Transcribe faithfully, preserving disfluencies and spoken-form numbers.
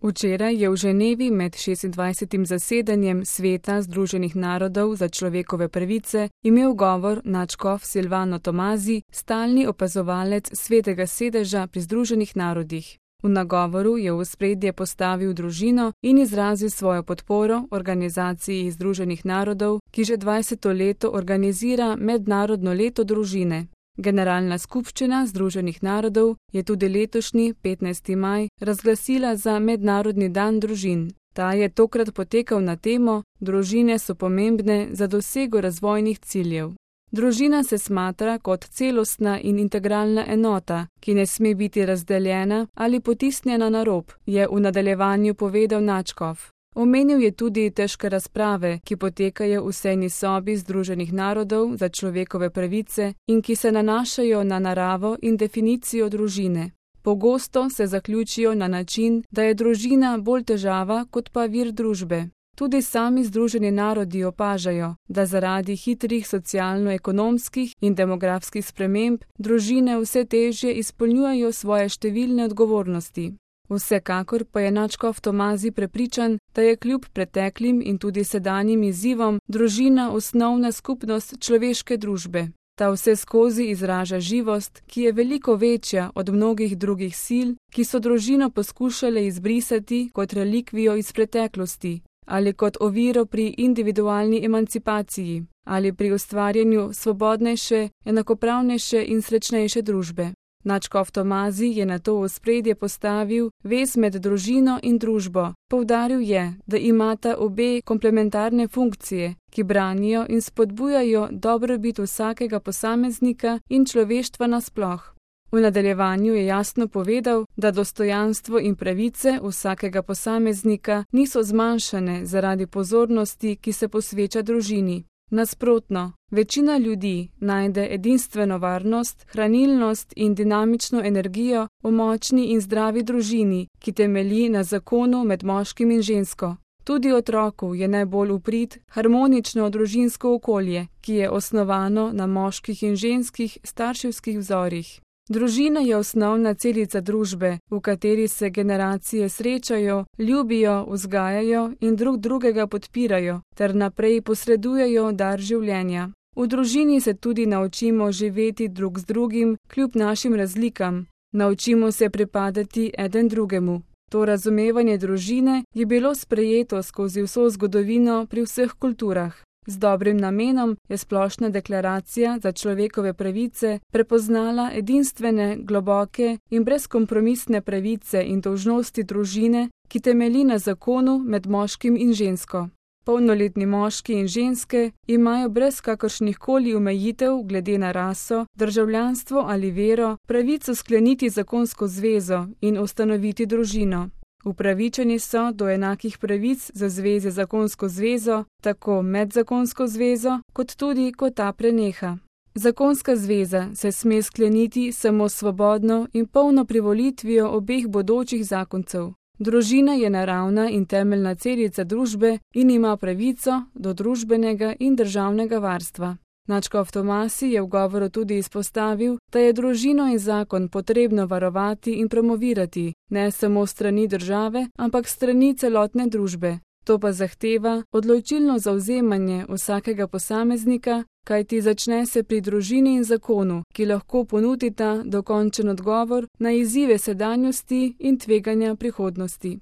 Včeraj je v Ženevi med šestindvajsetim zasedanjem Sveta Združenih narodov za človekove pravice imel govor nadškof Silvano Tomazi, stalni opazovalec Svetega sedeža pri Združenih narodih. V nagovoru je v ospredje postavil družino in izrazil svojo podporo organizaciji Združenih narodov, ki že dvajseto leto organizira Mednarodno leto družine. Generalna skupščina Združenih narodov je tudi letošnji petnajsti maj razglasila za Mednarodni dan družin. Ta je tokrat potekal na temo Družine so pomembne za dosego razvojnih ciljev. Družina se smatra kot celostna in integralna enota, ki ne sme biti razdeljena ali potisnjena na rob, je v nadaljevanju povedal nadškof. Omenil je tudi težke razprave, ki potekajo v sejni sobi Združenih narodov za človekove pravice in ki se nanašajo na naravo in definicijo družine. Pogosto se zaključijo na način, da je družina bolj težava kot pa vir družbe. Tudi sami Združeni narodi opažajo, da zaradi hitrih socialno-ekonomskih in demografskih sprememb družine vse težje izpolnjujejo svoje številne odgovornosti. Vsekakor pa je nadškof Tomazi prepričan, da je kljub preteklim in tudi sedanjim izzivom družina osnovna skupnost človeške družbe. Ta vse skozi izraža živost, ki je veliko večja od mnogih drugih sil, ki so družino poskušale izbrisati kot relikvijo iz preteklosti, ali kot oviro pri individualni emancipaciji, ali pri ustvarjanju svobodnejše, enakopravnejše in srečnejše družbe. Nadškof Tomazi je nato v ospredje postavil vez med družino in družbo. Poudaril je, da imata obe komplementarne funkcije, ki branijo in spodbujajo dobrobit vsakega posameznika in človeštva nasploh. V nadaljevanju je jasno povedal, da dostojanstvo in pravice vsakega posameznika niso zmanjšane zaradi pozornosti, ki se posveča družini. Nasprotno, večina ljudi najde edinstveno varnost, hranilnost in dinamično energijo v močni in zdravi družini, ki temelji na zakonu med moškim in žensko. Tudi otroku je najbolj v prid harmonično družinsko okolje, ki je osnovano na moških in ženskih starševskih vzorih. Družina je osnovna celica družbe, v kateri se generacije srečajo, ljubijo, vzgajajo in drug drugega podpirajo, ter naprej posredujejo dar življenja. V družini se tudi naučimo živeti drug z drugim, kljub našim razlikam. Naučimo se pripadati eden drugemu. To razumevanje družine je bilo sprejeto skozi vso zgodovino pri vseh kulturah. Z dobrim namenom je Splošna deklaracija za človekove pravice prepoznala edinstvene, globoke in brezkompromisne pravice in dolžnosti družine, ki temelji na zakonu med moškim in žensko. Polnoletni moški in ženske imajo brez kakršnih koli omejitev glede na raso, državljanstvo ali vero pravico skleniti zakonsko zvezo in ustanoviti družino. Upravičeni so do enakih pravic za zveze zakonsko zvezo, tako medzakonsko zvezo, kot tudi, ko ta preneha. Zakonska zveza se sme skleniti samo svobodno in polno privolitvijo obeh bodočih zakoncev. Družina je naravna in temeljna celica družbe in ima pravico do družbenega in državnega varstva. Nadškof Tomazi je v govoru tudi izpostavil, da je družino in zakon potrebno varovati in promovirati, ne samo strani države, ampak strani celotne družbe. To pa zahteva odločilno zavzemanje vsakega posameznika, kajti začne se pri družini in zakonu, ki lahko ponudita dokončen odgovor na izzive sedanjosti in tveganja prihodnosti.